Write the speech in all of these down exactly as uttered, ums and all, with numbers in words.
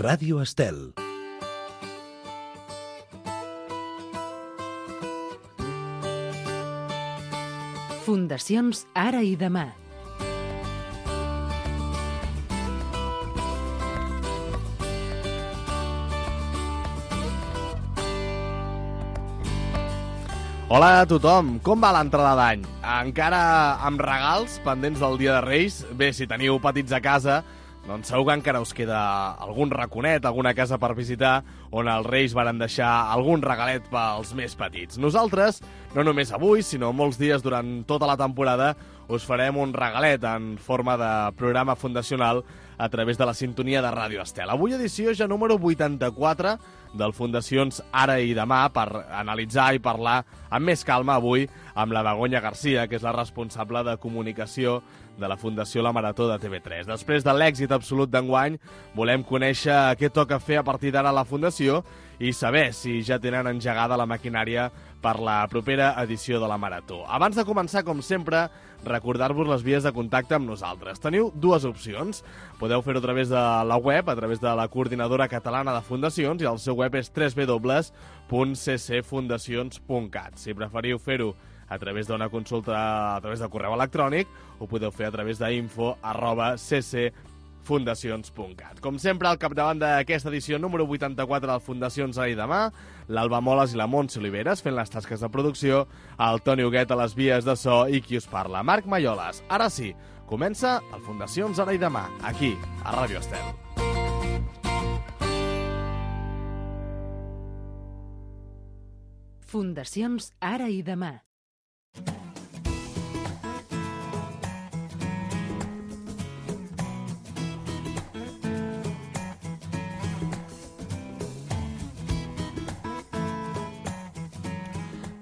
Ràdio Estel. Fundacions Ara i Demà. Hola a tothom, com va l'entrada d'any? Encara amb regals pendents del Dia de Reis? Bé, si teniu petits a casa, doncs segur que encara us queda algun raconet, alguna casa per visitar, on els Reis varen deixar algun regalet pels més petits. Nosaltres, no només avui, sinó molts dies durant tota la temporada, us farem un regalet en forma de programa fundacional a través de la sintonia de Ràdio Estel. Avui edició ja número vuitanta-quatre del Fundacions Ara i Demà, per analitzar i parlar amb més calma avui amb la Begoña Garcia, que és la responsable de comunicació de la Fundació La Marató de T V tres. Després de l'èxit absolut d'enguany, volem conèixer què toca fer a partir d'ara a la Fundació i saber si ja tenen engegada la maquinària per la propera edició de la Marató. Abans de començar, com sempre, recordar-vos les vies de contacte amb nosaltres. Teniu dues opcions. Podeu fer-ho a través de la web, a través de la Coordinadora Catalana de Fundacions, i el seu web és w w w punt c c fundacions punt cat. Si preferiu fer-ho a través d'una consulta a través de correu electrònic, ho podeu fer a través d'info arroba ccfundacions punt cat. Com sempre, al capdavant d'aquesta edició número vuitanta-quatre del Fundacions Ara i Demà, l'Alba Moles i la Montse Oliveres fent les tasques de producció, el Toni Huguet a les vies de so i qui us parla, Marc Malloles. Ara sí, comença el Fundacions Ara i Demà, aquí, a Ràdio Estel. Fundacions Ara i Demà.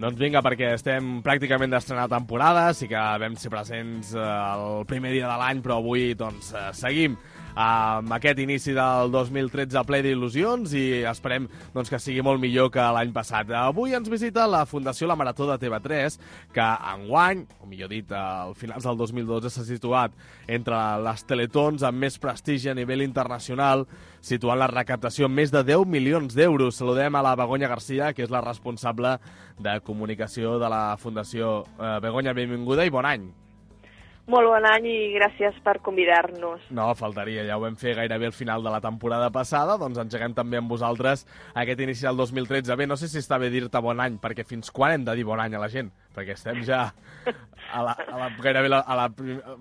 Doncs vinga, perquè estem pràcticament d'estrenar temporada, sí que vam ser presents eh, el primer dia de l'any, però avui doncs, eh, seguim amb aquest inici del dos mil tretze ple d'il·lusions i esperem doncs, que sigui molt millor que l'any passat. Avui ens visita la Fundació La Marató de T V tres, que enguany, o millor dit, al finals del dos mil dotze s'ha situat entre les teletons amb més prestigi a nivell internacional, situant la recaptació en més de deu milions d'euros. Saludem a la Begoña Garcia, que és la responsable de comunicació de la Fundació. Eh, Begoña, benvinguda i bon any. Molt bon any i gràcies per convidar-nos. No, faltaria, ja ho vam fer gairebé al final de la temporada passada, doncs engeguem també amb vosaltres aquest inici del dos mil tretze. Bé, no sé si està bé dir-te bon any, perquè fins quan hem de dir bon any a la gent? Perquè estem ja a la, a la, gairebé la, a la,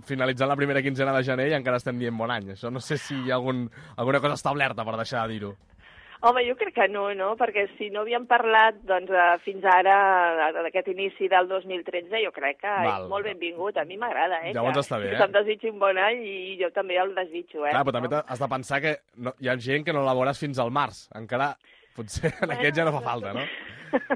finalitzant la primera quinzena de gener i encara estem dient bon any. Això no sé si hi ha algun, alguna cosa establerta per deixar de dir-ho. Home, jo crec que no, no? Perquè si no havíem parlat doncs, fins ara d'aquest inici del dos mil tretze, jo crec que Val. és molt benvingut. A mi m'agrada, eh? Llavors que, està bé, que eh? Se'm desitgi un bon any i jo també el desitjo, eh? Clar, però també has de pensar que no, hi ha gent que no la veuràs fins al març. Encara, potser en aquest ja no fa falta, no?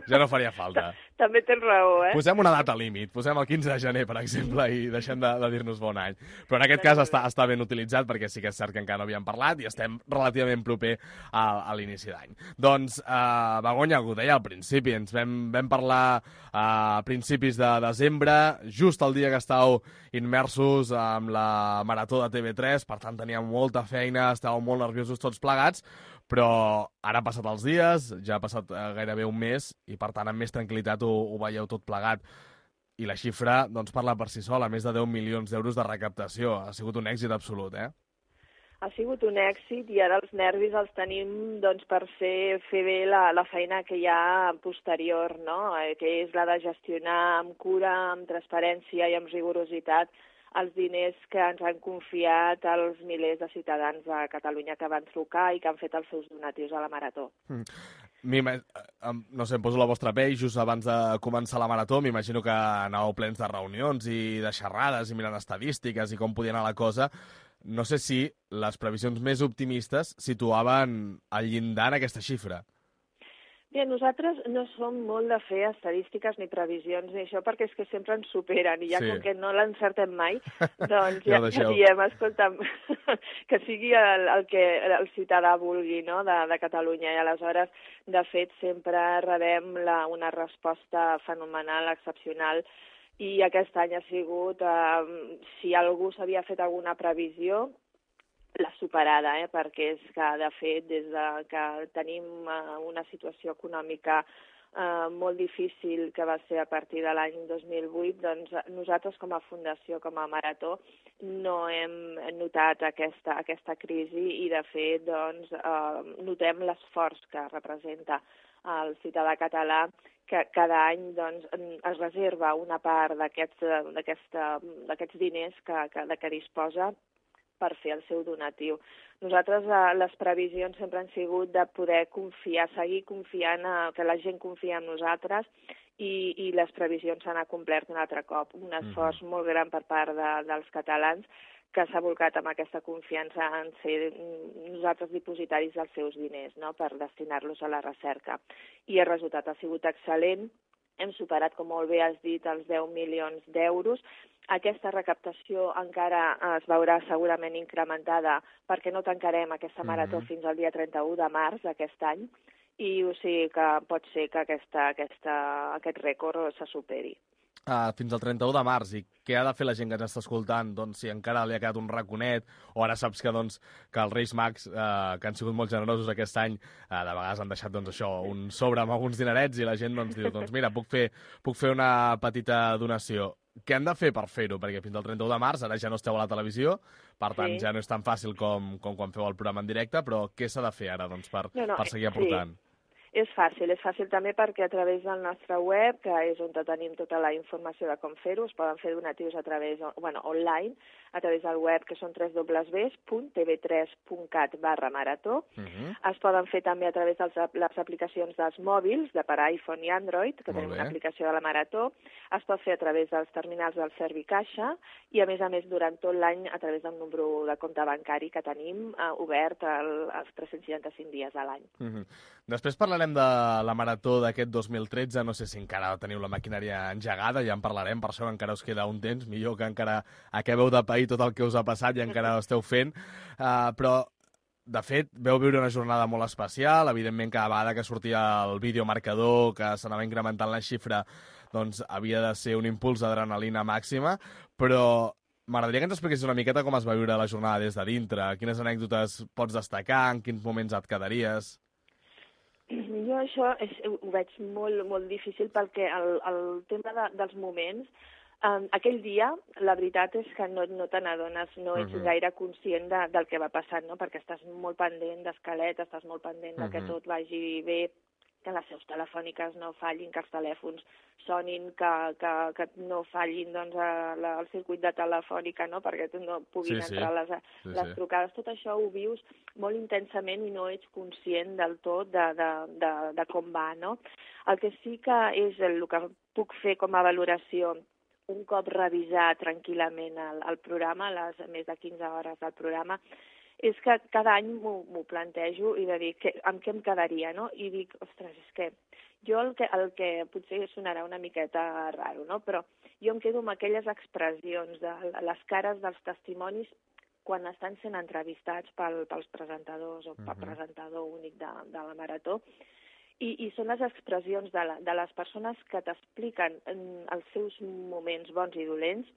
Ja no faria falta. També tens raó, eh? Posem una data límit, posem el quinze de gener, per exemple, i deixem de, de dir-nos bon any. Però en aquest cas està, està ben utilitzat, perquè sí que és cert que encara no havíem parlat i estem relativament proper a, a l'inici d'any. Doncs, eh, Begoña, ho deia al principi, ens vam, vam parlar a principis de desembre, just el dia que estàveu immersos amb la Marató de T V tres, per tant teníem molta feina, estàveu molt nerviosos tots plegats, però ara han passat els dies, ja ha passat eh, gairebé un mes i per tant amb més tranquil·litat ho, ho veieu tot plegat. I la xifra doncs, parla per si sola, més de deu milions d'euros de recaptació. Ha sigut un èxit absolut, eh? Ha sigut un èxit i ara els nervis els tenim doncs, per fer, fer bé la, la feina que hi ha posterior, no? Eh, que és la de gestionar amb cura, amb transparència i amb rigorositat els diners que ens han confiat els milers de ciutadans de Catalunya que van trucar i que han fet els seus donatius a la Marató. Mm. No sé, em poso la vostra pell just abans de començar la Marató. M'imagino que anàveu plens de reunions i de xerrades i mirant estadístiques i com podia anar la cosa. No sé si les previsions més optimistes situaven al llindar en aquesta xifra. Bé, nosaltres no som molt de fer estadístiques ni previsions ni això, perquè és que sempre ens superen i ja sí. Com que no l'encertem mai, doncs ja, ja diem, escolta'm, que sigui el, el que el ciutadà vulgui, no?, de, de Catalunya. I aleshores, de fet, sempre rebem la, una resposta fenomenal, excepcional, i aquest any ha sigut, eh, si algú s'havia fet alguna previsió, la superada, eh? perquè és que, de fet, des de que tenim uh, una situació econòmica Uh, molt difícil, que va ser a partir de l'any dos mil vuit, doncs nosaltres com a fundació, com a Marató, no hem notat aquesta, aquesta crisi i, de fet, doncs, uh, notem l'esforç que representa el ciutadà català, que cada any doncs, es reserva una part d'aquests diners que, que, de què disposa per fer el seu donatiu. Nosaltres, eh, les previsions sempre han sigut de poder confiar, seguir confiant, eh, que la gent confia en nosaltres i, i les previsions s'han acomplert un altre cop. Un esforç mm-hmm. molt gran per part de, dels catalans que s'ha volcat amb aquesta confiança en ser nosaltres dipositaris dels seus diners, no?, per destinar-los a la recerca. I el resultat ha sigut excel·lent. Hem superat, com molt bé has dit, els deu milions d'euros. Aquesta recaptació encara es veurà segurament incrementada perquè no tancarem aquesta marató mm-hmm. fins al dia trenta-u de març d'aquest any i o sigui que pot ser que aquesta, aquesta, aquest rècord se superi. Uh, fins al trenta-u de març, i què ha de fer la gent que ens està escoltant, doncs, si encara li ha quedat un raconet, o ara saps que, doncs, que els Reis Mags, uh, que han sigut molt generosos aquest any, uh, de vegades han deixat, doncs, això, un sobre amb alguns dinerets, i la gent, doncs, diu, doncs, mira, puc fer, puc fer una petita donació. Què han de fer per fer-ho? Perquè fins al trenta-u de març, ara ja no esteu a la televisió, per tant, sí. ja no és tan fàcil com, com quan feu el programa en directe, però què s'ha de fer ara, doncs, per, no, no, per seguir aportant? Sí. És fàcil, és fàcil també perquè a través del nostre web, que és on tenim tota la informació de com fer-ho, es poden fer donatius a través, bueno, online, a través del web, que són w w w punt t v tres punt cat barra marató. Uh-huh. Es poden fer també a través de les aplicacions dels mòbils, de per iPhone i Android, que tenim una aplicació de la Marató. Es pot fer a través dels terminals del Servicaixa i, a més a més, durant tot l'any a través del número de compte bancari que tenim eh, obert el, els tres-cents seixanta-cinc dies a l'any. Uh-huh. Després parlarem de la Marató d'aquest dos mil tretze. No sé si encara teniu la maquinària engegada, ja en parlarem, per això encara us queda un temps, millor que encara acabeu de pair tot el que us ha passat i encara ho esteu fent, uh, però de fet veu viure una jornada molt especial. Evidentment, cada vegada que sortia el videomarcador, que s'anava incrementant la xifra, doncs havia de ser un impuls d'adrenalina màxima, però m'agradaria que ens expliquessis una miqueta com es va viure la jornada des de dintre, quines anècdotes pots destacar, en quins moments et quedaries. Jo això és, ho veig molt, molt difícil perquè el, el tema de, dels moments, um, aquell dia, la veritat és que no, no te n'adones, no ets uh-huh. gaire conscient de, del que va passant, no? Perquè estàs molt pendent d'esquelet, estàs molt pendent uh-huh. de que tot vagi bé, que les seus telefòniques no fallin, que els telèfons sonin, que, que, que no fallin doncs, la, el circuit de telefònica, no? Perquè no puguin sí, entrar sí. les, sí, les sí. trucades. Tot això ho vius molt intensament i no ets conscient del tot de, de, de, de com va, no? El que sí que és el, el que puc fer com a valoració un cop revisar tranquil·lament el, el programa, les més de quinze hores del programa, és que cada any m'ho plantejo i de dir que, amb què em quedaria, no? I dic, ostres, és que jo el que, el que potser sonarà una miqueta raro, no? Però jo em quedo amb aquelles expressions de les cares dels testimonis quan estan sent entrevistats pel, pels presentadors o pel uh-huh. presentador únic de, de la Marató. I, i són les expressions de, la, de les persones que t'expliquen els seus moments bons i dolents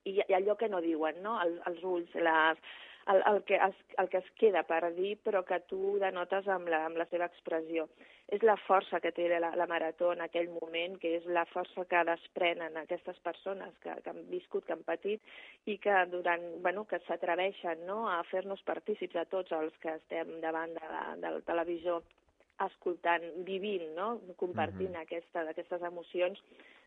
i, i allò que no diuen, no? El, els ulls, les... El, el, que es, el que es queda per dir, però que tu denotes amb la, amb la seva expressió. És la força que té la, la Marató en aquell moment, que és la força que desprenen aquestes persones que, que han viscut, que han patit, i que durant, bueno, que s'atreveixen, no?, a fer-nos partícips a tots els que estem davant de la, del televisor, escoltant, vivint, no?, compartint uh-huh. aquesta, aquestes emocions.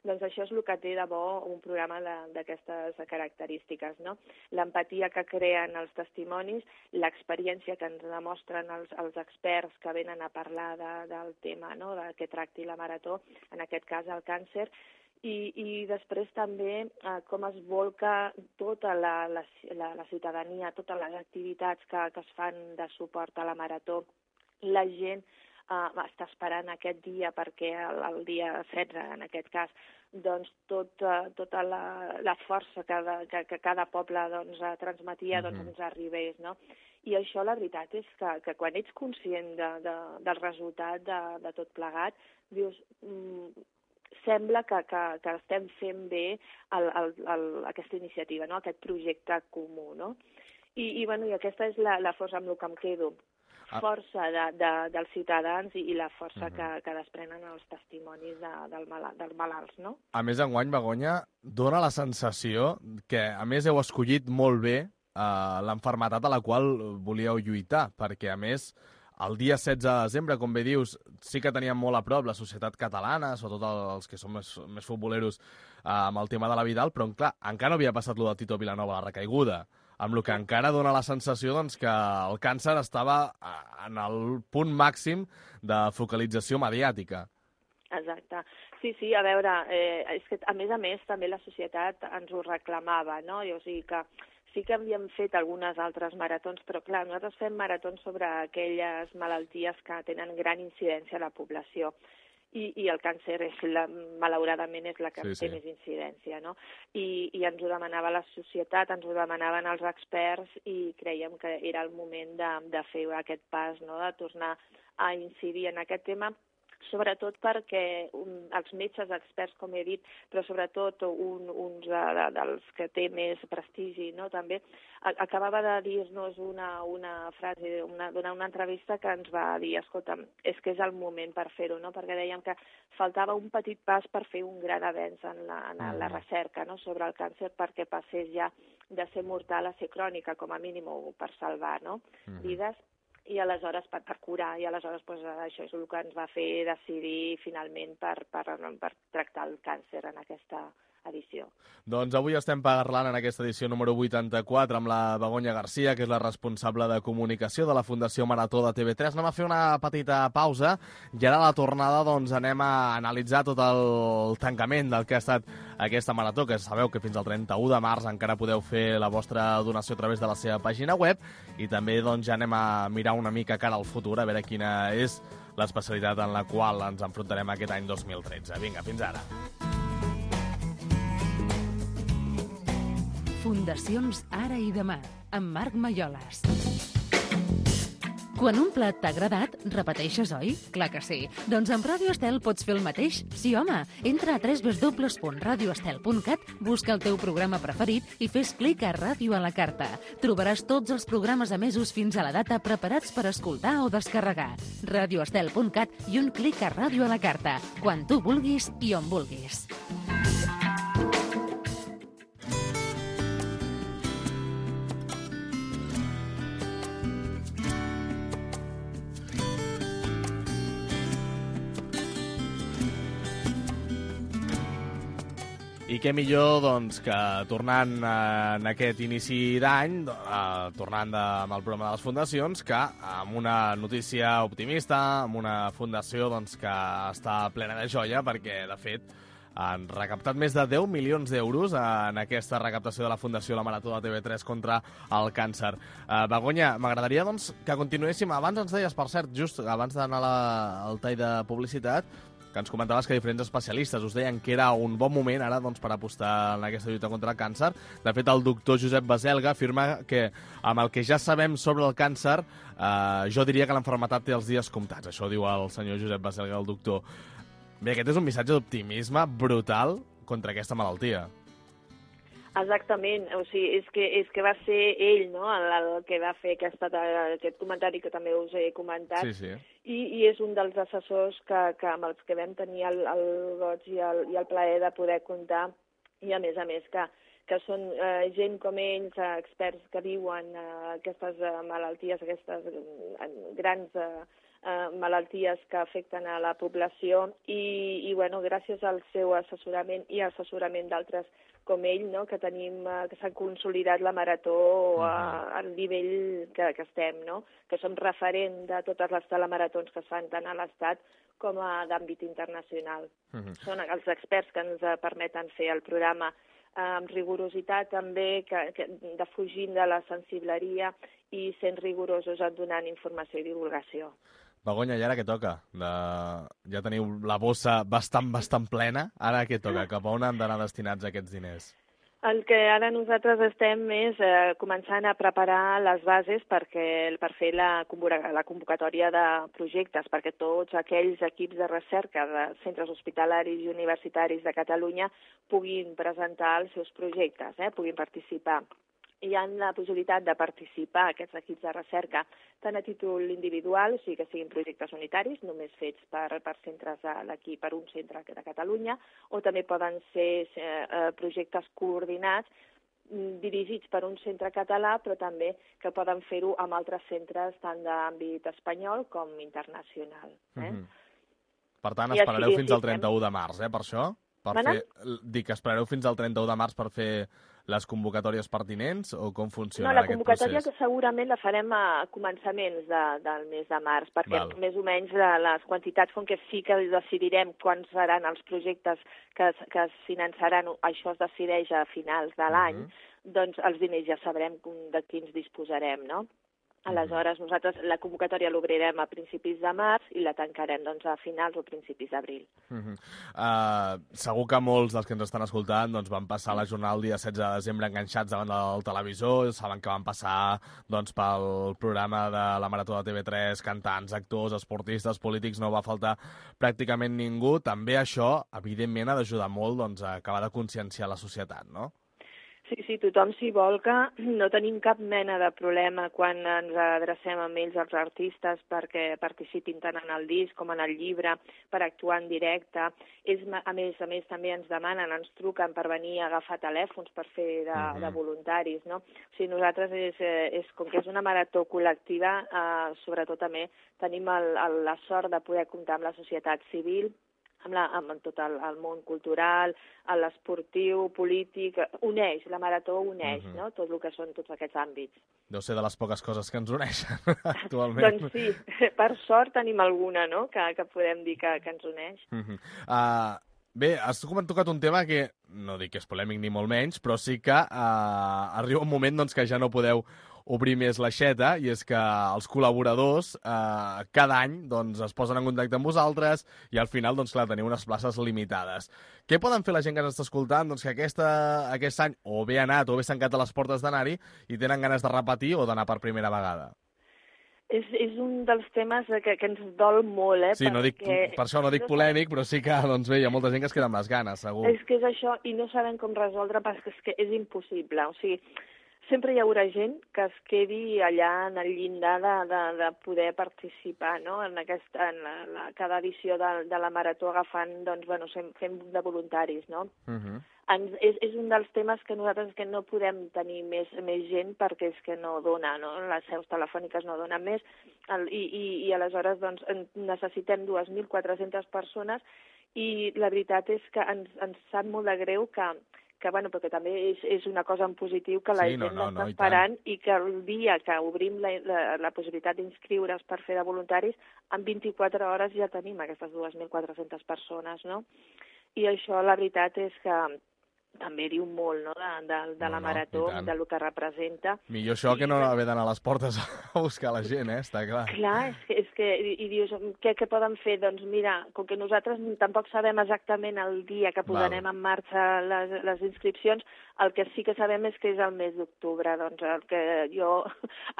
Doncs això és el que té de bo un programa d'aquestes característiques, no? L'empatia que creen els testimonis, l'experiència que ens demostren els, els experts que venen a parlar de, del tema, no?, de què tracti la Marató, en aquest cas el càncer, i, i després també eh, com es volca tota la, la, la, la ciutadania, totes les activitats que, que es fan de suport a la Marató. La gent Uh, està esperant aquest dia perquè el, el dia setze, en aquest cas, doncs tot, uh, tota la, la força que, de, que, que cada poble doncs, transmetia doncs, ens arribés, no? I això la veritat és que, que quan ets conscient de, de, del resultat de, de tot plegat, dius... Mm, sembla que, que, que estem fent bé el, el, el, aquesta iniciativa, no? Aquest projecte comú, no? I, i, bueno, i aquesta és la, la força amb el que em quedo. Força de, de, dels ciutadans i, i la força uh -huh. que, que desprenen els testimonis de, del malalt, dels malalts, no? A més, enguany, Begoña, dona la sensació que, a més, heu escollit molt bé eh, l'enfermetat a la qual volíeu lluitar, perquè, a més, el dia setze de desembre, com bé dius, sí que teníem molt a prop la societat catalana, sobretot els que som més, més futboleros eh, amb el tema de la Vidal, però, clar, encara no havia passat lo de Tito Vilanova, la recaiguda, amb el que encara dona la sensació doncs, que el càncer estava en el punt màxim de focalització mediàtica. Exacte. Sí, sí, a veure, eh, és que a més a més també la societat ens ho reclamava, no? I, o sigui que sí que havíem fet algunes altres maratons, però clar, nosaltres fem maratons sobre aquelles malalties que tenen gran incidència a la població. I, i el càncer, és la, malauradament, és la que sí, té sí. més incidència, no? I, I ens ho demanava la societat, ens ho demanaven els experts i creiem que era el moment de, de fer aquest pas, no?, de tornar a incidir en aquest tema, sobretot perquè un, els metges experts, com he dit, però sobretot un, uns de, de, dels que té més prestigi, no?, també, a, acabava de dir-nos una, una frase, una, donar una entrevista que ens va dir, escolta'm, és que és el moment per fer-ho, no?, perquè dèiem que faltava un petit pas per fer un gran avenç en la, en la recerca, no?, sobre el càncer, perquè passés ja de ser mortal a ser crònica, com a mínim, o per salvar, no?, mm-hmm. vides, i aleshores per, per curar, i aleshores pues, això és el que ens va fer decidir finalment per, per, per tractar el càncer en aquesta edició. Doncs avui estem parlant en aquesta edició número vuitanta-quatre amb la Begoña García, que és la responsable de comunicació de la Fundació Marató de T V tres. Anem a fer una petita pausa i ara a la tornada doncs, anem a analitzar tot el tancament del que ha estat aquesta marató, que sabeu que fins al trenta-u de març encara podeu fer la vostra donació a través de la seva pàgina web, i també doncs, ja anem a mirar una mica cara al futur, a veure quina és l'especialitat en la qual ens enfrontarem aquest any dos mil tretze. Vinga, fins ara. Fundacions Ara i Demà, amb Marc Malloles. Quan un plat t'ha agradat, repeteixes, oi? Clar que sí. Doncs amb Ràdio Estel pots fer el mateix? Sí, home. Entra a w w w punt radio estel punt cat, busca el teu programa preferit i fes clic a Ràdio a la carta. Trobaràs tots els programes emesos fins a la data preparats per escoltar o descarregar. radio estel punt cat i un clic a Ràdio a la carta. Quan tu vulguis i on vulguis. I què millor doncs, que tornant eh, en aquest inici d'any, eh, tornant de, amb el programa de les fundacions, que amb una notícia optimista, amb una fundació doncs, que està plena de joia, perquè, de fet, han recaptat més de deu milions d'euros en aquesta recaptació de la Fundació La Marató de T V tres contra el càncer. Eh, Begoña, m'agradaria doncs, que continuéssim. Abans ens deies, per cert, just abans d'anar al tall de publicitat, que ens comentaves que diferents especialistes us deien que era un bon moment ara doncs, per apostar en aquesta lluita contra el càncer. De fet, el doctor Josep Baselga afirma que amb el que ja sabem sobre el càncer, eh, jo diria que l'enfermetat té els dies comptats. Això diu el senyor Josep Baselga, el doctor. Bé, aquest és un missatge d'optimisme brutal contra aquesta malaltia. Exactament, o sigui, és que, és que va ser ell, no?, el, el que va fer aquesta, aquest comentari que també us he comentat, sí, sí. I, i és un dels assessors que, que amb els que vam tenir el, el goig i el, i el plaer de poder comptar, i a més a més que, que són eh, gent com ells, eh, experts que viuen eh, aquestes eh, malalties, aquestes eh, grans eh, eh, malalties que afecten a la població, i, i bueno, gràcies al seu assessorament i assessorament d'altres com ell, no?, que tenim, que s'ha consolidat la marató a, al nivell que, que estem, no?, que som referent de totes les telemaratons que es fan tant a l'Estat com a d'àmbit internacional. Uh-huh. Són els experts que ens permeten fer el programa eh, amb rigorositat també, que, que defugint de la sensibleria i sent rigorosos en donant informació i divulgació. Begoña, i ara què toca? De... Ja teniu la bossa bastant, bastant plena. Ara què toca? Cap a on han d'anar destinats aquests diners? El que ara nosaltres estem és eh, començant a preparar les bases perquè, per fer la, la convocatòria de projectes, perquè tots aquells equips de recerca de centres hospitalaris i universitaris de Catalunya puguin presentar els seus projectes, eh, puguin participar. hi ha la possibilitat de participar aquests equips de recerca tant a títol individual, o sigui que siguin projectes unitaris, només fets per, per centres d'aquí, per un centre de Catalunya, o també poden ser eh, projectes coordinats dirigits per un centre català, però també que poden fer-ho amb altres centres tant d'àmbit espanyol com internacional. Eh? Mm-hmm. Per tant, esperareu fins al trenta-u de març, eh, per això? Per fer... Dic, esperareu fins al trenta-u de març per fer les convocatòries pertinents o com funciona no, aquest procés? No, la convocatòria segurament la farem a començaments de, del mes de març, perquè Val. més o menys les quantitats, com que sí que decidirem quants seran els projectes que, que es finançaran, això es decideix a finals de l'any, uh-huh. doncs els diners ja sabrem de quins disposarem, no? Aleshores, nosaltres la convocatòria l'obrirem a principis de març i la tancarem doncs, a finals o principis d'abril. Uh-huh. uh, segur que molts dels que ens estan escoltant doncs, van passar la jornada el dia setze de desembre enganxats davant del televisor, saben que van passar doncs, pel programa de la Marató de T V tres, cantants, actors, esportistes, polítics, no va faltar pràcticament ningú. També això, evidentment, ha d'ajudar molt doncs, a acabar de conscienciar la societat, no? Sí, sí, tothom s'hi volca, no tenim cap mena de problema quan ens adrecem amb ells, els artistes, perquè participin tant en el disc com en el llibre, per actuar en directe. Ells, a més a més, també ens demanen, ens truquen per venir a agafar telèfons per fer de, uh-huh. de voluntaris, no? O sigui, nosaltres, és, és, com que és una marató col·lectiva, eh, sobretot també tenim el, el, la sort de poder comptar amb la societat civil, amb, la, amb tot el, el món cultural, l'esportiu, polític, uneix, la marató uneix, uh-huh. no? Tot el que són tots aquests àmbits. Deu ser de les poques coses que ens uneixen actualment. Doncs sí, per sort tenim alguna, no?, que, que podem dir que, que ens uneix. Uh-huh. uh, bé, has tocat un tema que, no dic que és polèmic ni molt menys, però sí que uh, arriba un moment doncs, que ja no podeu obrir més l'aixeta, i és que els col·laboradors eh, cada any doncs, es posen en contacte amb vosaltres i al final, doncs, clar, teniu unes places limitades. Què poden fer la gent que ens està escoltant doncs, que aquesta, aquest any o bé ha anat o bé s'han quedat a les portes d'anar-hi i tenen ganes de repetir o d'anar per primera vegada? És, és un dels temes que, que ens dol molt, eh? Sí, no dic, per això no dic polèmic, però sí que doncs, bé, hi ha molta gent que es queda amb les ganes, segur. És que és això, i no sabem com resoldre perquè és que és impossible, o sigui, sempre hi haurà gent que es quedi allà en el llindar de, de, de poder participar, no?, en, aquesta, en la, la, cada edició de, de la marató agafant, doncs, bueno, fent de voluntaris, no? Uh-huh. Ens, és, és un dels temes que nosaltres que no podem tenir més, més gent perquè és que no dona, no? Les seus telefòniques no donen més el, i, i, i aleshores doncs, necessitem dues mil quatre-centes persones i la veritat és que ens, ens sap molt de greu que que, bueno, perquè també és, és una cosa en positiu que la sí, gent no, no, està no, esperant i, i que el dia que obrim la, la, la possibilitat d'inscriure's per fer de voluntaris, en vint-i-quatre hores ja tenim aquestes dues mil quatre-centes persones, no? I això, la veritat és que també diu molt, no?, de, de, de la no, marató, no, del que representa. Millor això I, que no haver d'anar a les portes a buscar la gent, eh? Està clar. Clar, és que, és que i, i dius, què, què poden fer? Doncs mira, com que nosaltres tampoc sabem exactament el dia que posarem Val. en marxa les, les inscripcions, el que sí que sabem és que és el mes d'octubre. Doncs el que jo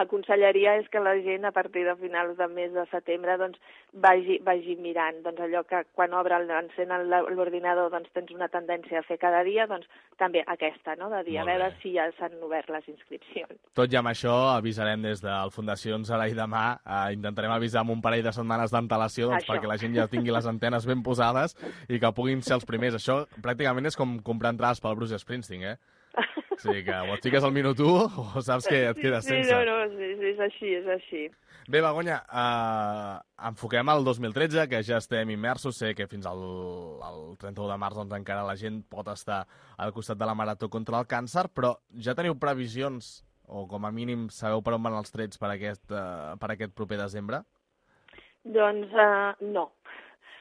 aconsellaria és que la gent, a partir de finals del mes de setembre, doncs vagi, vagi mirant. Doncs allò que quan obre, encén l'ordinador, doncs tens una tendència a fer cada dia, doncs també aquesta, no?, de dir, a veure si ja s'han obert les inscripcions. Tot i amb això, avisarem des del Fundació Sarai demà, eh, intentarem avisar amb un parell de setmanes d'antelació doncs, perquè la gent ja tingui les antenes ben posades i que puguin ser els primers. Això pràcticament és com comprar entrades pel Bruce Springsteen, eh? O sigui que o et fiques al minut u o saps que et quedes sí, sense. Sí, no, no, sí, sí, és així, és així. Bé, Begoña, eh, enfoquem el dos mil tretze, que ja estem immersos. Sé que fins al, al trenta-u de març doncs, encara la gent pot estar al costat de la Marató contra el càncer, però ja teniu previsions, o com a mínim sabeu per on van els trets per aquest, uh, per aquest proper desembre? Doncs uh, no.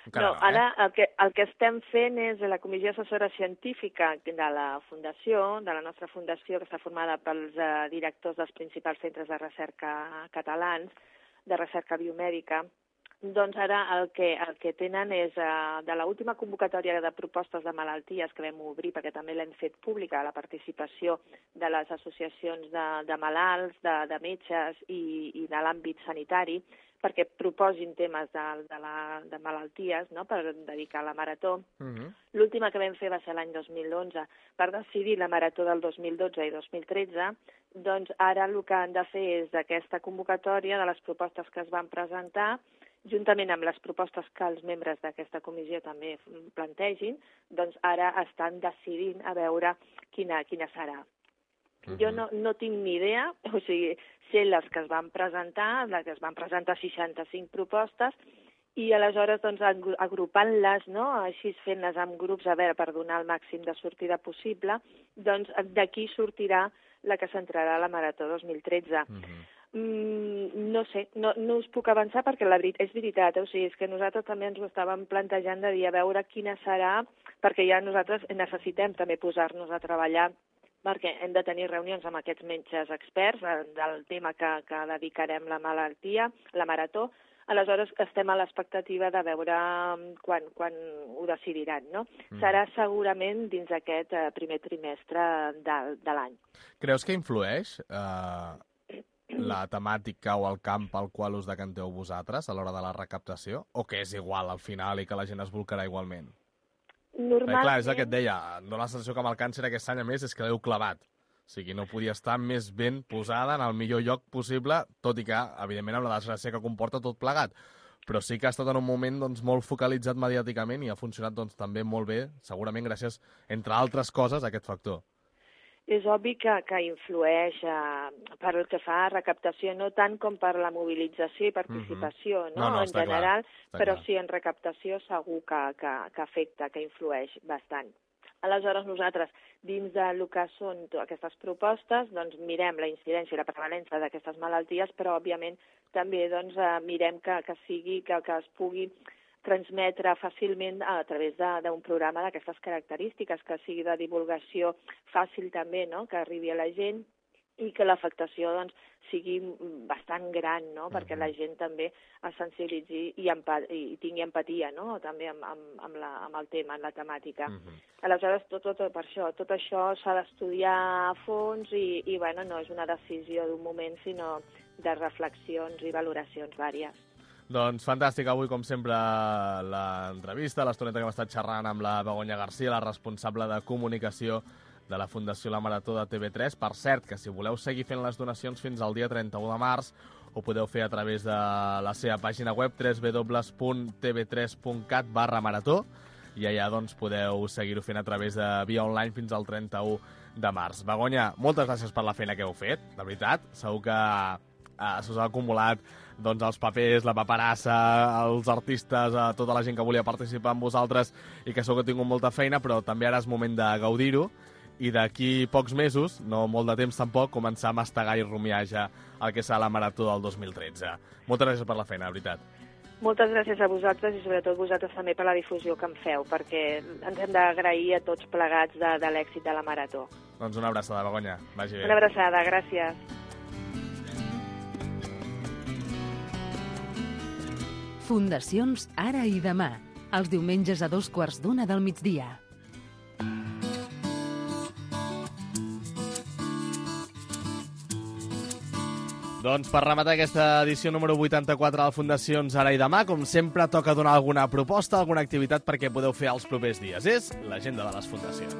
Encara no, no, ara eh? el, que, el que estem fent és la comissió assessora científica de la fundació, de la nostra fundació, que està formada pels uh, directors dels principals centres de recerca catalans, de recerca biomèdica. Doncs ara el que, el que tenen és, uh, de l'última convocatòria de propostes de malalties que vam obrir, perquè també l'hem fet pública, la participació de les associacions de, de malalts, de, de metges i, i de l'àmbit sanitari, perquè proposin temes de, de, la, de malalties, no?, per dedicar a la marató. Uh-huh. L'última que vam fer va ser l'any dos mil onze. Per decidir la marató del dos mil dotze i dos mil tretze, doncs ara el que han de fer és d'aquesta convocatòria, de les propostes que es van presentar, juntament amb les propostes que els membres d'aquesta comissió també plantegin, doncs ara estan decidint a veure quina, quina serà. Uh-huh. Jo no, no tinc ni idea, o sigui, sé les que es van presentar, les que es van presentar seixanta-cinc propostes, i aleshores doncs, agrupant-les, no?, així fent-les en grups, a veure, per donar el màxim de sortida possible, doncs d'aquí sortirà la que s'entrarà a la Marató dos mil tretze. Uh-huh. Mm, no sé, no, no us puc avançar perquè la veritat, és veritat, eh? O sigui, és que nosaltres també ens ho estàvem plantejant de dir a veure quina serà, perquè ja nosaltres necessitem també posar-nos a treballar, perquè hem de tenir reunions amb aquests metges experts del tema que, que dedicarem la malaltia, la marató. Aleshores estem a l'expectativa de veure quan, quan ho decidiran, no? Mm. Serà segurament dins aquest eh, primer trimestre de, de l'any. Creus que influeix eh, la temàtica o el camp al qual us decanteu vosaltres a l'hora de la recaptació? O que és igual al final i que la gent es volcarà igualment? Normalment... Perquè, clar, és el que et deia, no la sensació que amb el càncer aquest any, a més, és que l'heu clavat. O sigui, no podia estar més ben posada en el millor lloc possible, tot i que, evidentment, amb la desgràcia que comporta tot plegat. Però sí que ha estat en un moment doncs, molt focalitzat mediàticament i ha funcionat doncs, també molt bé, segurament gràcies, entre altres coses, a aquest factor. És obvi que, que influeix eh, per el que fa a recaptació, no tant com per la mobilització i participació, uh-huh. no? no, no en general, clar, però clar. Sí, en recaptació segur que, que, que afecta, que influeix bastant. Aleshores, nosaltres, dins del que són aquestes propostes, doncs mirem la incidència i la prevalença d'aquestes malalties, però, òbviament, també doncs, eh, mirem que, que sigui, que, que es pugui transmetre fàcilment a través d'un programa d'aquestes característiques, que sigui de divulgació fàcil també, no?, que arribi a la gent i que l'afectació doncs, sigui bastant gran, no?, uh-huh. perquè la gent també es sensibilitzi i, empa- i tingui empatia, no?, també amb, amb, amb, la, amb el tema, amb la temàtica. Uh-huh. Aleshores, tot, tot, per això, tot això s'ha d'estudiar a fons i, i bueno, no és una decisió d'un moment, sinó de reflexions i valoracions vàries. Doncs fantàstic, avui, com sempre, l'entrevista, l'estoneta que hem estat xerrant amb la Begoña García, la responsable de comunicació de la Fundació La Marató de T V tres. Per cert, que si voleu seguir fent les donacions fins al dia trenta-u de març, ho podeu fer a través de la seva pàgina web w w w punt t v tres punt cat barra marató i allà doncs, podeu seguir-ho fent a través de via online fins al trenta-u de març. Begoña, moltes gràcies per la feina que heu fet, de veritat. Segur que eh, s'us ha acumulat doncs, els papers, la paperassa, els artistes, eh, tota la gent que volia participar amb vosaltres i que segur que heu tingut molta feina, però també ara és moment de gaudir-ho i d'aquí pocs mesos, no molt de temps tampoc, començar a mastegar i rumiar ja el que serà la Marató del dos mil tretze. Moltes gràcies per la feina, de veritat. Moltes gràcies a vosaltres i sobretot vosaltres també per la difusió que em feu, perquè ens hem d'agrair a tots plegats de, de l'èxit de la Marató. Doncs una abraçada, Begoña. Vagi bé. Una abraçada, gràcies. Fundacions Ara i Demà, els diumenges a dos quarts d'una del migdia. Doncs per rematar aquesta edició número vuitanta-quatre de Fundacions Ara i Demà, com sempre, toca donar alguna proposta, alguna activitat perquè podeu fer els propers dies. És l'agenda de les fundacions.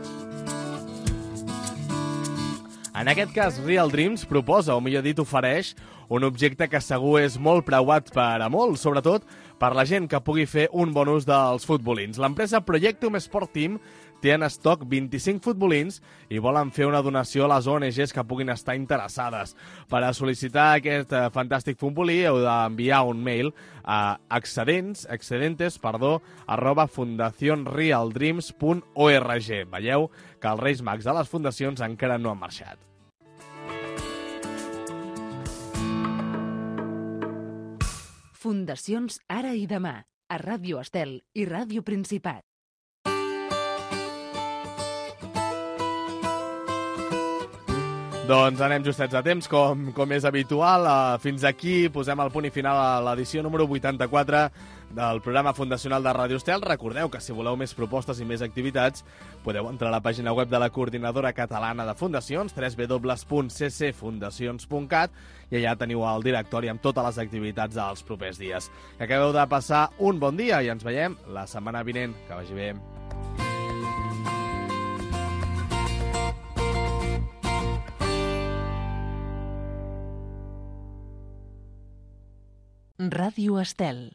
En aquest cas, Real Dreams proposa, o millor dit, ofereix un objecte que segur és molt preuat per a molts, sobretot per la gent que pugui fer un bon ús dels futbolins. L'empresa Projectum Sport Team té en estoc vint-i-cinc futbolins i volen fer una donació a les O N Ges que puguin estar interessades. Per a sol·licitar aquest eh, fantàstic futbolí heu d'enviar un mail a excedents, excedentes, perdó, arroba fundación real dreams punt org. Veieu que els Reis Mags de les fundacions encara no han marxat. Fundacions Ara i Demà, a Ràdio Estel i Ràdio Principat. Doncs anem justets a temps, com, com és habitual. Uh, fins aquí posem el punt i final a l'edició número vuitanta-quatre del programa fundacional de Ràdio Estel. Recordeu que si voleu més propostes i més activitats podeu entrar a la pàgina web de la Coordinadora Catalana de Fundacions, w w w punt c c fundacions punt cat, i allà teniu el directori amb totes les activitats dels propers dies. Que acabeu de passar un bon dia i ens veiem la setmana vinent. Que vagi bé. Ràdio Estel.